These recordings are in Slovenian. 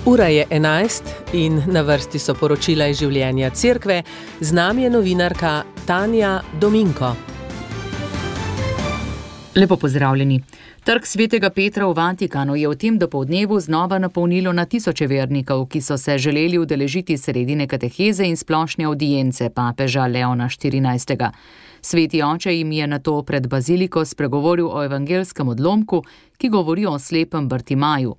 Ura je 11 in na vrsti so poročila iz življenja cerkve. Z nami je novinarka Tanja Dominko. Lepo pozdravljeni. Trg Svetega Petra v Vatikanu je v tem dopoldnevu znova napolnilo na tisoče vernikov, ki so se želeli udeležiti sredine kateheze in splošne avdience papeža Leona XIV. Sveti oče jim je nato pred baziliko spregovoril o evangelskem odlomku, ki govori o slepem Bartimaju.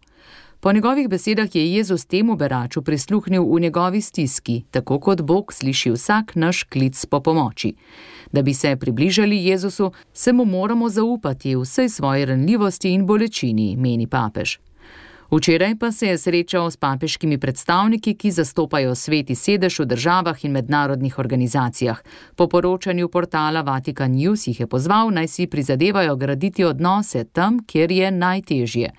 Po njegovih besedah je Jezus temu beraču prisluhnil v njegovi stiski, tako kot Bog sliši vsak naš klic po pomoči. Da bi se približali Jezusu, se mu moramo zaupati v vsej svoji ranljivosti in bolečini, meni papež. Včeraj pa se je srečal s papeškimi predstavniki, ki zastopajo Sveti sedež v državah in mednarodnih organizacijah. Po poročanju portala Vatican News jih je pozval, naj si prizadevajo graditi odnose tam, kjer je najtežje.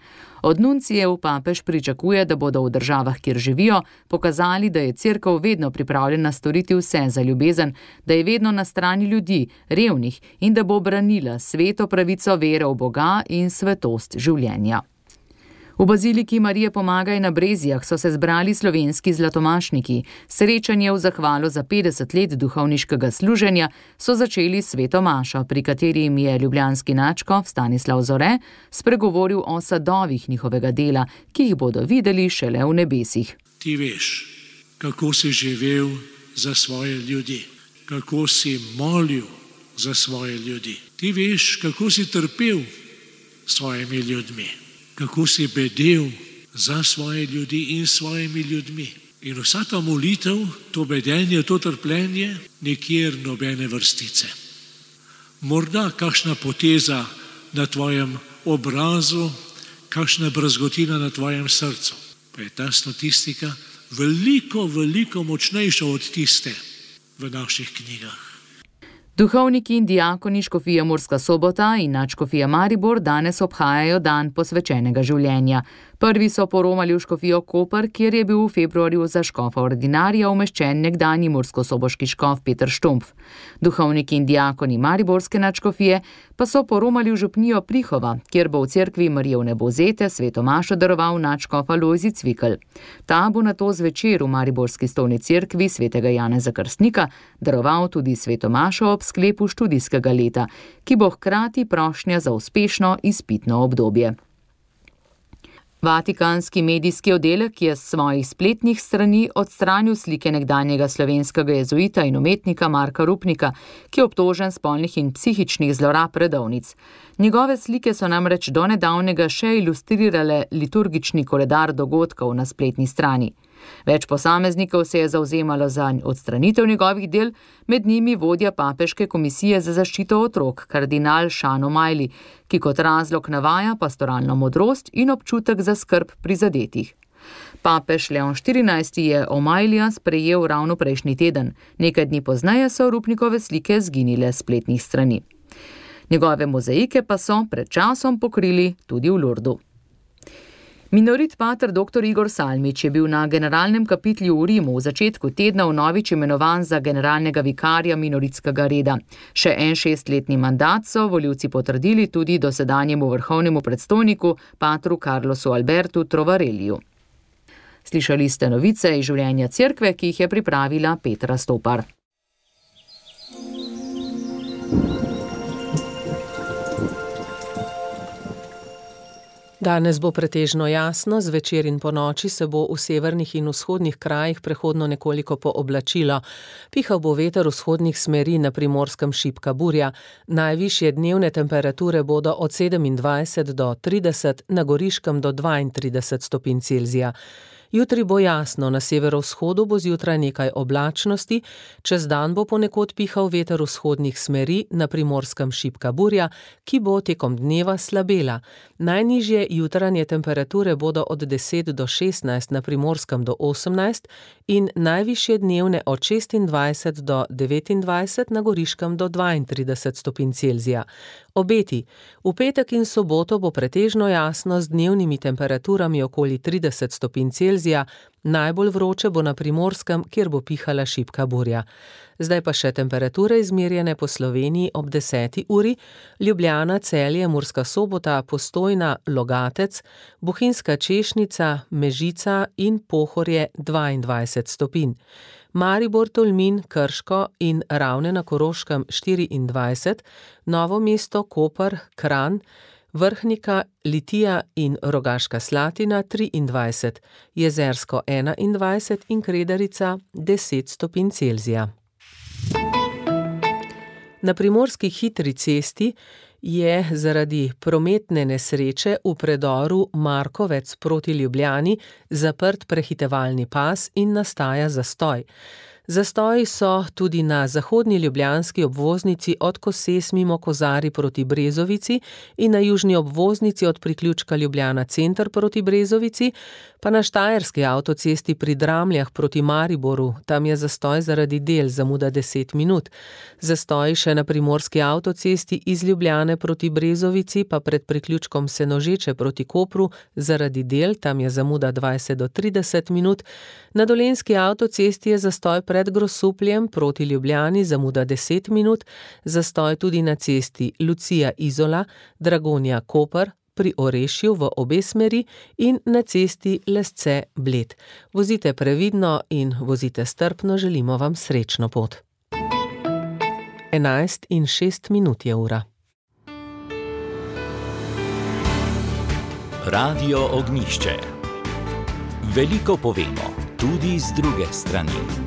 Od nuncijev papež pričakuje, da bodo v državah, kjer živijo, pokazali, da je cerkev vedno pripravljena storiti vse za ljubezen, da je vedno na strani ljudi, revnih in da bo branila sveto pravico vere v Boga in svetost življenja. V baziliki Marije Pomagaj na Brezijah so se zbrali slovenski zlatomašniki. Srečanje v zahvalo za 50 let duhovniškega služenja so začeli sveto mašo, pri kateri jim je ljubljanski nadškof Stanislav Zore spregovoril o sadovih njihovega dela, ki jih bodo videli šele v nebesih. Ti veš, kako si živel za svoje ljudi, kako si molil za svoje ljudi. Ti veš, kako si trpel s svojimi ljudmi, kako si bedel za svoje ljudi in svojimi ljudmi. In vsa ta molitev, to bedenje, to trpljenje, nikjer nobene vrstice. Morda kakšna poteza na tvojem obrazu, kakšna brazgotina na tvojem srcu. Pa je ta statistika veliko močnejša od tiste v naših knjigah. Duhovniki in diakoni škofije Murska Sobota in nadškofija Maribor danes obhajajo dan posvečenega življenja. Prvi so poromali v škofijo Koper, kjer je bil v februarju za škofa ordinarija umeščen nekdanji murskosoboški škof Peter Štumpf. Duhovniki in diakoni Mariborske nadškofije pa so poromali v župnijo Prihova, kjer bo v cerkvi Marijevne Bozete sveto mašo daroval nadškof Alojzij Cvikl. Ta bo nato zvečer v mariborski stolni cerkvi svetega Janeza Krstnika daroval tudi sveto mašo ob sklepu študijskega leta, ki bo hkrati prošnja za uspešno izpitno obdobje. Vatikanski medijski oddelek je s svojih spletnih strani odstranil slike nekdanjega slovenskega jezuita in umetnika Marka Rupnika, ki je obtožen spolnih in psihičnih zlorab redovnic. Njegove slike so namreč do nedavnega še ilustrirale liturgični koledar dogodkov na spletni strani. Več posameznikov se je zavzemalo za odstranitev njegovih del, med njimi vodja papeške komisije za zaščito otrok, kardinal Sean O'Malley, ki kot razlog navaja pastoralno modrost in občutek za skrb prizadetih. Papež Leon XIV je O'Malleyja sprejel ravno prejšnji teden. Nekaj dni pozneje so Rupnikove slike zginile s spletnih strani. Njegove mozaike pa so pred časom pokrili tudi v Lurdu. Minorit pater dr. Igor Salmič je bil na generalnem kapitlju v Rimu v začetku tedna vnovič imenovan za generalnega vikarja minoritskega reda. Še en 6-letni mandat so volivci potrdili tudi dosedanjemu vrhovnemu predstojniku patru Carlosu Albertu Trovarelliju. Slišali ste novice iz življenja cerkve, ki jih je pripravila Petra Stopar. Danes bo pretežno jasno, zvečer in ponoči se bo v severnih in vzhodnih krajih prehodno nekoliko pooblačilo. Pihal bo veter vzhodnih smeri, na Primorskem šibka burja. Najvišje dnevne temperature bodo od 27 do 30, na Goriškem do 32 stopinj Celzija. Jutri bo jasno, na severovzhodu bo zjutraj nekaj oblačnosti, čez dan bo ponekod pihal veter vzhodnih smeri, na Primorskem šibka burja, ki bo tekom dneva slabela. Najnižje jutranje temperature bodo od 10 do 16, na Primorskem do 18 in najvišje dnevne od 26 do 29, na Goriškem do 32 stopinj Celzija. Obeti. V petek in soboto bo pretežno jasno z dnevnimi temperaturami okoli 30 stopinj Celzija, najbolj vroče bo na Primorskem, kjer bo pihala šibka burja. Zdaj pa še temperature izmerjene po Sloveniji ob 10. uri, Ljubljana, Celje, Murska Sobota, Postojna, Logatec, Bohinjska Češnica, Mežica in Pohorje 22 stopinj. Maribor, Tolmin, Krško in Ravne na Koroškem 24, Novo mesto, Koper, Kranj, Vrhnika, Litija in Rogaška Slatina 23, Jezersko 21 in Kredarica 10 stopinj Celzija. Na primorski hitri cesti je zaradi prometne nesreče v predoru Markovec proti Ljubljani zaprt prehitevalni pas in nastaja zastoj. Zastoji so tudi na zahodni ljubljanski obvoznici od Koses mimo Kozarij proti Brezovici in na južni obvoznici od priključka Ljubljana center proti Brezovici, pa na štajerski avtocesti pri Dramljah proti Mariboru, tam je zastoj zaradi del, zamuda 10 minut. Zastoji še na primorski avtocesti iz Ljubljane proti Brezovici, pa pred priključkom Senožeče proti Kopru zaradi del, tam je zamuda 20 do 30 minut. Na dolenjski avtocesti je zastoj pred Grosupljem proti Ljubljani, zamuda 10 minut, zastoj tudi na cesti Lucija-Izola, Dragonja-Koper, pri Orešju v obe smeri in na cesti Lesce-Bled. Vozite previdno in vozite strpno, želimo vam srečno pot. 11:06 je ura. Radio Ognjišče. Veliko povemo, tudi z druge strani.